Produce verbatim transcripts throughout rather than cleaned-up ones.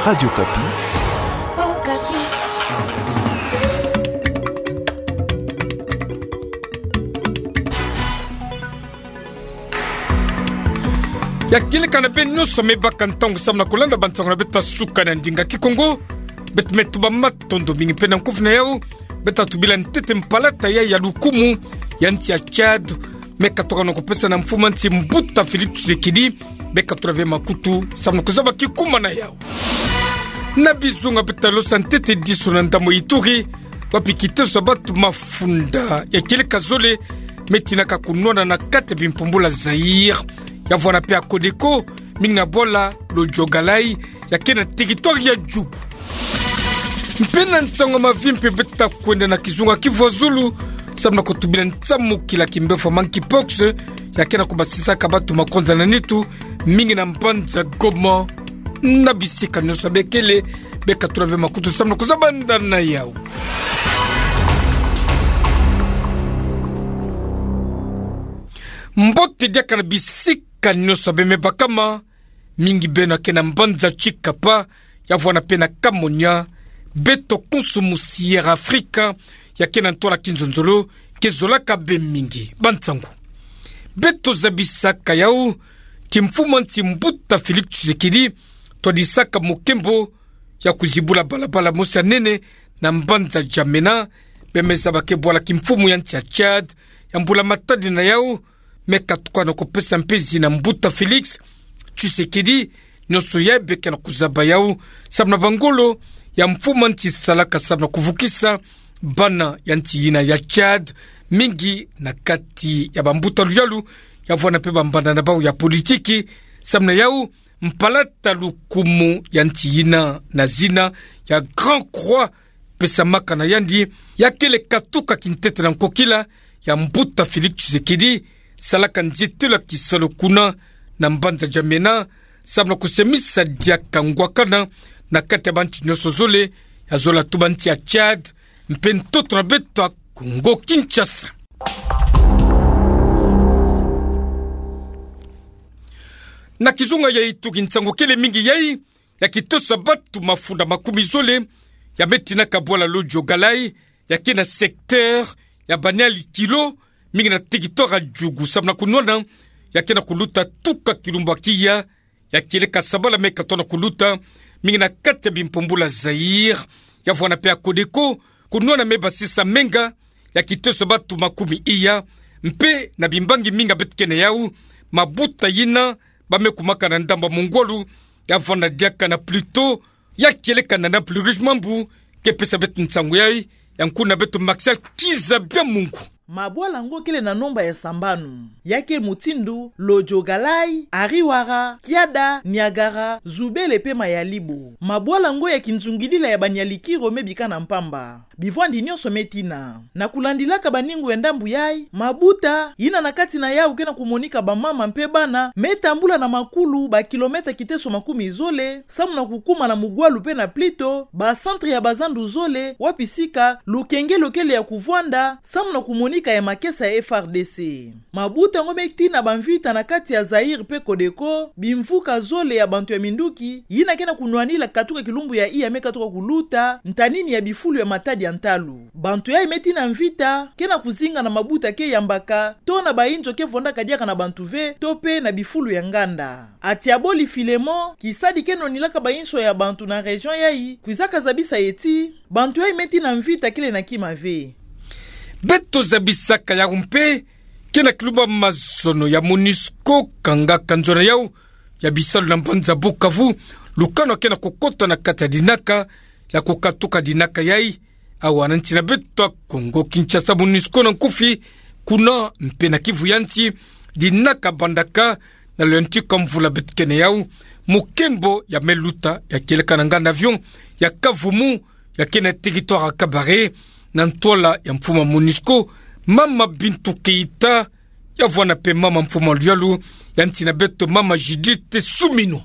Radio Okapi. Ya kieleka na beno nyonso me baka ntangu samu na kulanda bansango na beto ya suka na ndinga Kikongo. Beto me tuba matondo mingi mpe na nkufi na yau. Beto tubila ntete mpalata ya, ya lukumu ya nsi ya Tchad me katoka na kupesa na mfumu ya nsi Mbuta Félix Tshisekedi. Beto tula ve makutu samu na kuzaba kikuma na yau. Na bizunga beto losa ntete diso na ndambu Ituri, wapi kiteso ya bantu mafunda ya kieleka zole me tinaka kunwana na kati ya bimpumbulu ya Zaïre, ya vwanda mpe ya Codeco, mingi na bwala Lodjogalay, ya ke na territoire ya Djougou. Mpe na nsango ya mavimpi beto kwenda na kizunga Kivu ya Zulu, samu na kutubila nsamukila kimbefo ya monkeypox, ya ke na kubasisaka bantu makonza na nitu, mingi na mbanza Goma, na bisika nyonso ya bikele. Beto tula ve makutu samu na kuzaba ndani na yau. Mbote diaka na bisika nyonso ya beno me bakama, mingi beno ya ke na mbanza Tshikapa, ya vwanda mpe na Kamonia, beto konso mu Sierra Africa, ya ke na ntwala kinzonzolo, ke zolaka beno mingi. Bansango. Beto zabisaka yau, ti mfumu ya nsi Mbuta Félix Tshisekedi, twadisaka mukembo ya kuzibula balabala mosi ya nene na mbanza Djamena, beno me zaba ke bwala kimfumu ya nsi ya Tchad, ya mbula matadi na yau, me katuka na kupesa mpe zina Mbuta Félix Tshisekedi, nyonso yai beno ke na kuzaba yau, samu na bangolo ya mfumu ya nsi salaka samu na kuvukisa bana ya nsi yina ya Tchad, mingi na kati ya bambuta luyalu, ya vwanda mpe bambanda na bau ya politiki, samu na yau, mpalata lukumu ya nsi yina na zina ya Grand Croix, pesamaka na yandi, ya kele katuka kintete na nkokila ya Mbuta Félix Tshisekedi, salaka nzietelo ya kisalu kuna na mbanza Djamena, samu na kusemisa diaka ngwakana na kati ya bantu nyonso zole, ya zola tuba nsi ya Tchad, mpe ntoto na beto ya Kongo Kinshasa. Na kizunga ya Ituri nsangu kele mingi yai, ya kitosa bantu mafunda makumi zole, ya me tinaka bwala Lodjogalay, ya ke na secteur ya Baniali Kilo, mingi na territoire ya Djougou, samu na kunwana, ya ke na kuluta tuka kilumbu ya kiya, ya kieleka sabala me katoka na kuluta, mingi na kati ya bimpumbulu ya Zaïre, ya vwanda mpe ya Codeco, kunwana me basisa menga, ya kitosa bantu makumi iya, mpe na bimbangi mingi beto ke na yau, mabuta yina, ba me kumaka na ndambu ya mungwalu, ya vwanda diaka na Pluto, ya kieleka na Naples Rouge Mambu, ke pesa beto nsangu yai, ya nkuna beto Martial Kiza Biamungu. Mabwala ngo kele na nomba ya sambanu. Ya ke mutindu, Lodjogalay, Ariwara, Kiada, Niagara, Djoubélé mpe Mayalibo. Mabwala ngo ya kinzungidila ya Baniali Kilo me bika na mpamba. Bivwandi nyonso me tina. Na kulandilaka baningu ya ndambu yai, mabuta, yina na kati na yau ke na kumonika bamama mpe bana, me tambula na makulu bakilomètre kiteso makumi zole, samu na kukuma na Mungwalu mpe na Pluto, ba centre ya bazandu zole, wapi sika, lukenge lo kele ya kuvwanda, samu na kumonika ya makesa ya F R D C. Mabuta ngo me tina bamvita na kati ya Zaïre mpe Codeco, bimvuka zole ya bantu ya minduki, yina ke na kunwanila katuka kilumbu ya iya me katuka kuluta, ntanini ya bifulu ya matadi ya ntalu. Bantu yai me tina mvita, ke na kuzinga na mabuta ke yambaka, to na bainzo ke vwandaka diaka na bantu ve, to mpe na bifulu ya nganda. Atiaboli Filemon, kisadi ke nwanilaka bainzo ya bantu na région yai, kwizaka zabisa ye ti, bantu yai me tina mvita kele na kima ve. Beto zabisaka yau mpe, ke na kilumbu ya mazono ya Monusco kangaka nzo na yau ya bisalu na mbanza Bukavu, lukanu ke na kukota na kati ya dinaka, ya kukatuka dinaka yai, awa na nsi na beto ya Kongo Kinshasa. Monusco na nkufi, kuna mpe na Kivu ya nsi, dinaka bandaka na lo ya ntuka mvula beto ke na yau, mukembo ya me luta ya kieleka na nganda avion ya Kavumu, ya ke na territoire ya Kabare, na ntwala ya mfumu ya Monusco, mama Bintou Keita, ya vwanda mpe mama mfumu ya luyalu ya nsi na beto, mama Judith Suminwa.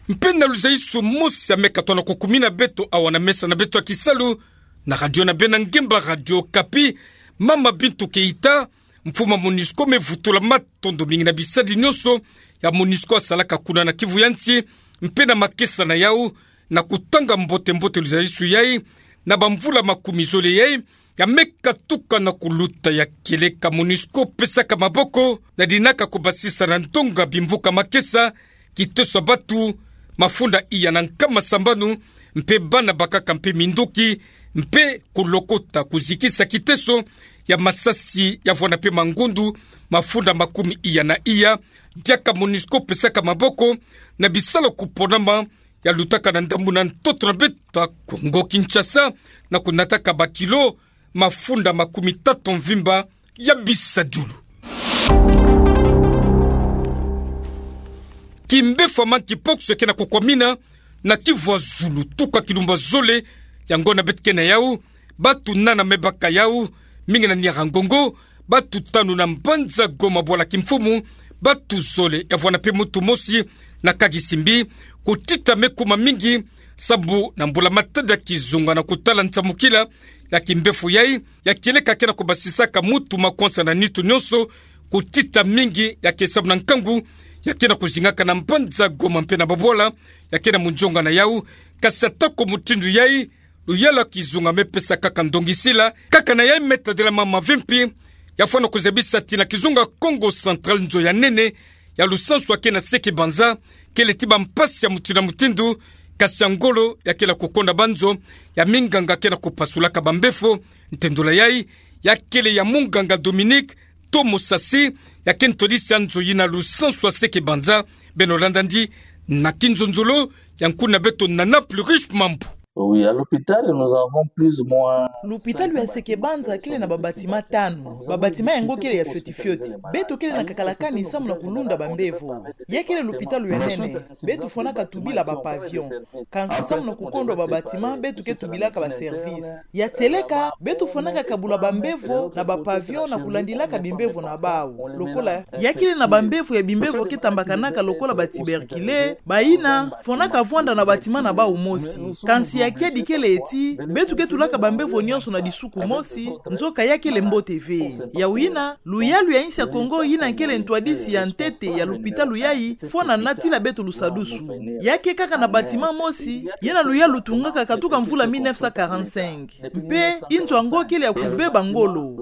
Mpe na luzaiso mosi ya me katoka na kukumina beto awa na mesa na beto ya kisalu, na radio na beno ya ngemba, Radio Okapi, mama Bintou Keita, mfumu ya Monusco me vutula matondo mingi na bisadi nyonso ya Monusco asalaka kuna na Kivu ya nsi, mpe na makesa na yau, na kutanga mbote-mbote luzalisu yai, na bamvula makumi zole yai, ya me katuka na kuluta ya kieleka MONUSCO pesaka maboko, na dinaka kubasisa na ndonga bimvuka makesa, kiteso ya batu, mafunda iya na nkama sambanu, mpe bana bakaka mpe minduki, mpe kulokota kuzikisa kiteso ya masasi ya vwanda mpe mangundu, mafunda makumi iya na iya, diaka MONUSCO pesaka maboko, na bisalu kuponama, ya lutaka na ndambu na ntoto na beto ya Kongo Kinshasa, na kunataka bakilo mafunda makumi tatu mvimba ya bisadulu. Kimbefo ya monkeypox ke na kukwamina na Kivu ya Zulu, tuka kilumbu zole, yango na beto ke na yau, batu nana me baka yau, mingi na Nyiragongo, batu tanu na mbanza Goma bwala kimfumu, batu zole ya vwanda mpe muntu mosi na Kagisimbi, kutita me kuma mingi, sabu na mbula-matadi ya kizunga na kutala nsamukila ya kimbefo yai, ya kieleka ke na kubasisaka muntu makwansa na nitu nyonso, kutita mingi ya ke samu na nkangu ya ke na kuzingaka na mbanza Goma mpe na babwala ya ke na munzonga na yau, kasi atako mutindu yai, luyalu ya kizunga me pesa kaka ndongisila, kaka na yai me tadila mama vimpi, ya fwana kuzabisa ti na kizunga Kongo Central nzo ya nene ya lusansu ya ke na Seke-Banza, kele ti bampasi ya mutindu na mutindu, kasi ya ngolo ya ke na kukonda banzo, ya minganga ke na kupasulaka bambefo, ntendula yai, ya kele ya munganga Dominique Tomo Sasi, ya ke ntwadisi ya nzo yina lusansu ya Seke-Banza, beno landa ndi na kinzonzolo ya nkuna beto Nana Plurish Mambu. Oui, à l'hôpital, nous avons plus ou moins Lupitalu ya Seke-Banza kele na babatima tanu. Babatima yango kele ya fioti-fioti. Beto kele na kakalakani samu na kulunda bambevo. Ya kele lupitalu ya nene. Beto fwanaka tubila ba pavillon. Kansi samu na kukondwa babatima, beto ke tubilaka ba service. Ya tieleka, beto fwanaka kabula bambevo na ba pavillon na kulandilaka bimbevo na bau. Lokola ya kele na bambevo ya bimbevo ke tambakanaka lokola ba tuberculeux, bayina fwanaka vwanda na batima na bau mosi. Kansi ya kiadi kele ti, beto ke tulaka bambevo nyonso na disuku mosi, nzoka ya kele mbote ve. Yawu yina, luyalu ya insi ya Kongo yina kele ntwadisi ya ntete ya lupitalu yai, fwana natila beto lusadusu. Ya ke kaka na batima mosi, yina luyalu tungaka katuka mvula mille neuf cent quarante-cinq. Mpe, inzo yango kele ya kubeba ngolo.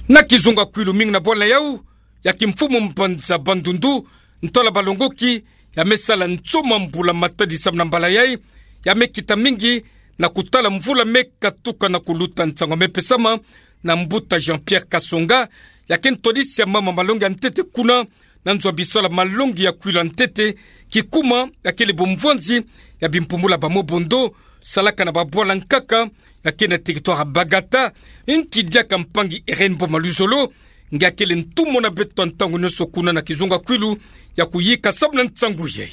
Na kizunga Kwilu, mingi na bwala yau ya kimfumu mbanza Bandundu, ntwala balongoki ya me sala nsoma mbula-matadi samu na mbala yai, ya me kita mingi na kutala mvula me katuka na kuluta. Nsangu me pesama na mbuta Jean-Pierre Kasonga, ya ke ntwadisi ya mama malongi ya ntete kuna, na nzo ya bisalu ya malongi ya Kwilu ya ntete, kikuma ya kele bumvwanzi ya bimpumbulu ya ba Mobondo, salaka na babwala nkaka ya ke na territoire ya Bagata, nki diaka mpangi Irène Boma Luzolo, nge ya kele ntumwa na beto ya ntangu nyonso kuna na kizunga Kwilu, ya kuyika samu na nsangu yai.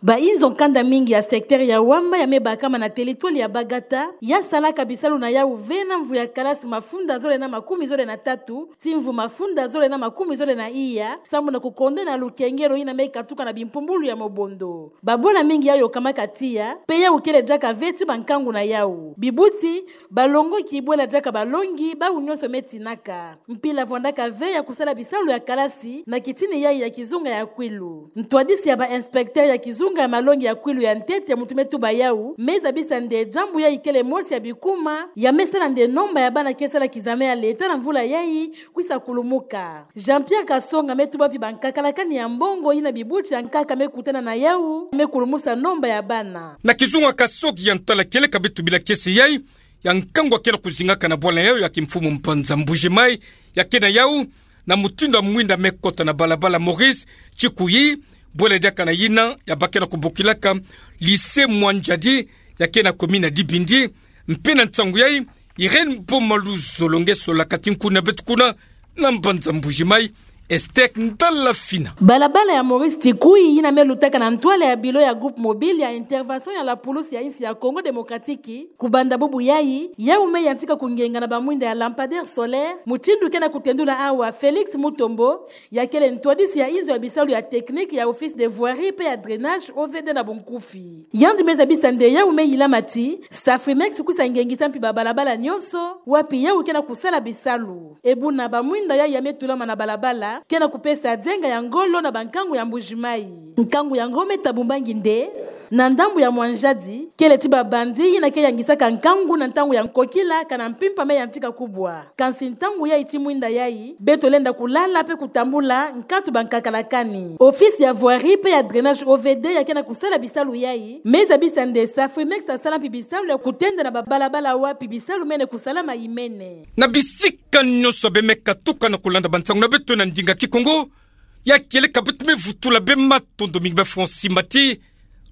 Ba inzo nkanda mingi ya secteur ya Wamba ya me bakama na territoire ya Bagata, ya salaka bisalu na yau ve na mvu ya kalasi mafunda zole na makumi zole na tatu, ti mvu mafunda zole na makumi zole na iya, samu na kukondwa na lukengelo yina me katuka na bimpumbulu ya Mobondo. Babwala mingi ya yokamaka tiya, mpe yau kele diaka ve ti bankangu na yau. Bibuti, balongoki bwela diaka balongi, bau nyonso me tinaka. Mpila vwandaka ve ya kusala bisalu ya kalasi, na kitini yai ya kizunga ya Kwilu. Ntwadisi ya ba inspecteur ya kizunga ya malongi ya Kwilu ya ntete, muntu me tuba yau, me zabisa nde diambu yai kele mosi ya bikuma, ya me sala nde nomba ya bana ke sala kizame ya leta na mvula yai, kwisa kulumuka. Jean-Pierre Kasonga me tuba mpi bankakalakani ya mbongo yina bibuti ya nkaka me kutana na yau, me kulumusa nomba ya bana. Na kizunga Kasoki ya ntwala kieleka beto bila kiese yai, ya nkangu ya ke na kuzingaka na bwala yau ya kimfumu mbanza Mbuji-Mayi, ya ke na yau, na mutindu ya mwinda me kota na balabala Maurice Tshikuyi, bwela diaka na yina ya ba ke na kubokilaka lycée Mwanjadi, ya ke na commune ya Dibindi, mpe na nsangu yai, Irène Boma Luzolo nge solaka ti nkuna beto kuna, na mbanza Mbuji-Mayi, Esther Ndala Fina. Balabala ya Maurice Tshikuyi yina me lutaka na ntwala ya bilo ya groupe mobile ya intervention ya la police ya insi ya Congo Démocratique, kubanda bubu yai, yau me yantika kungenga na bamwinda ya lampadaire solaire, mutindu ke na kutendula awa Félix Mutombo, ya kele ntwadisi ya inzo ya bisalu ya technique ya office de voirie mpe ya drainage, O V D na bunkufi. Yandi me zabisa nde yau me yilama ti, Safrimex kwisa ngengisa mpi babalabala nyonso, wapi yau ke na kusala bisalu. E buna bamwinda yai ya me tulama na balabala, ke na kupesa dienga ya ngolo na bankangu ya Mbuji-Mayi. Nkangu yango me tabumbangi nde, Na ndambu ya mwanjadi, kele ti ba bandits yina ke yangisaka nkangu na ntangu ya nkokila kana mpimpa me yantika kubwa. Kansi ntangu yayi ti mwinda yayi, beto lenda kulala pe kutambula nkatu ba nkakala kani. Office ya voirie pe ya drainage, O V D, ya ke na kusala bisalu yayi me za bisa nde sa Frimex asala mpi bisalu ya kutenda na ba balabala wapi bisalu mene kusalama imene. Na bisika nyonso be me katuka na kulanda ba nsangu na beto na ndinga Kikongo, ya kieleka beto me vutula be matondo mingi be fwa nsimbati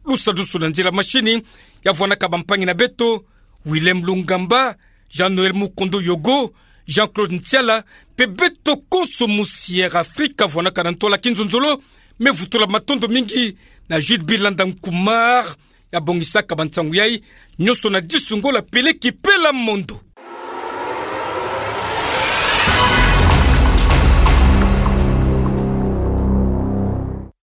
lusadusu na nzila masini ya vwanaka bampangi na beto, Willem Lungamba, Jean-Noël Mukondo Yogo, Jean-Claude Ntiala, pe beto konso musiere Afrika vwanaka na ntwala kinzonzolo, me vutula matondo mingi na Jules Bilanda Nkumar, ya bongisaka ba nsangu yayi nyonso na disu ngola peleki pela mondo.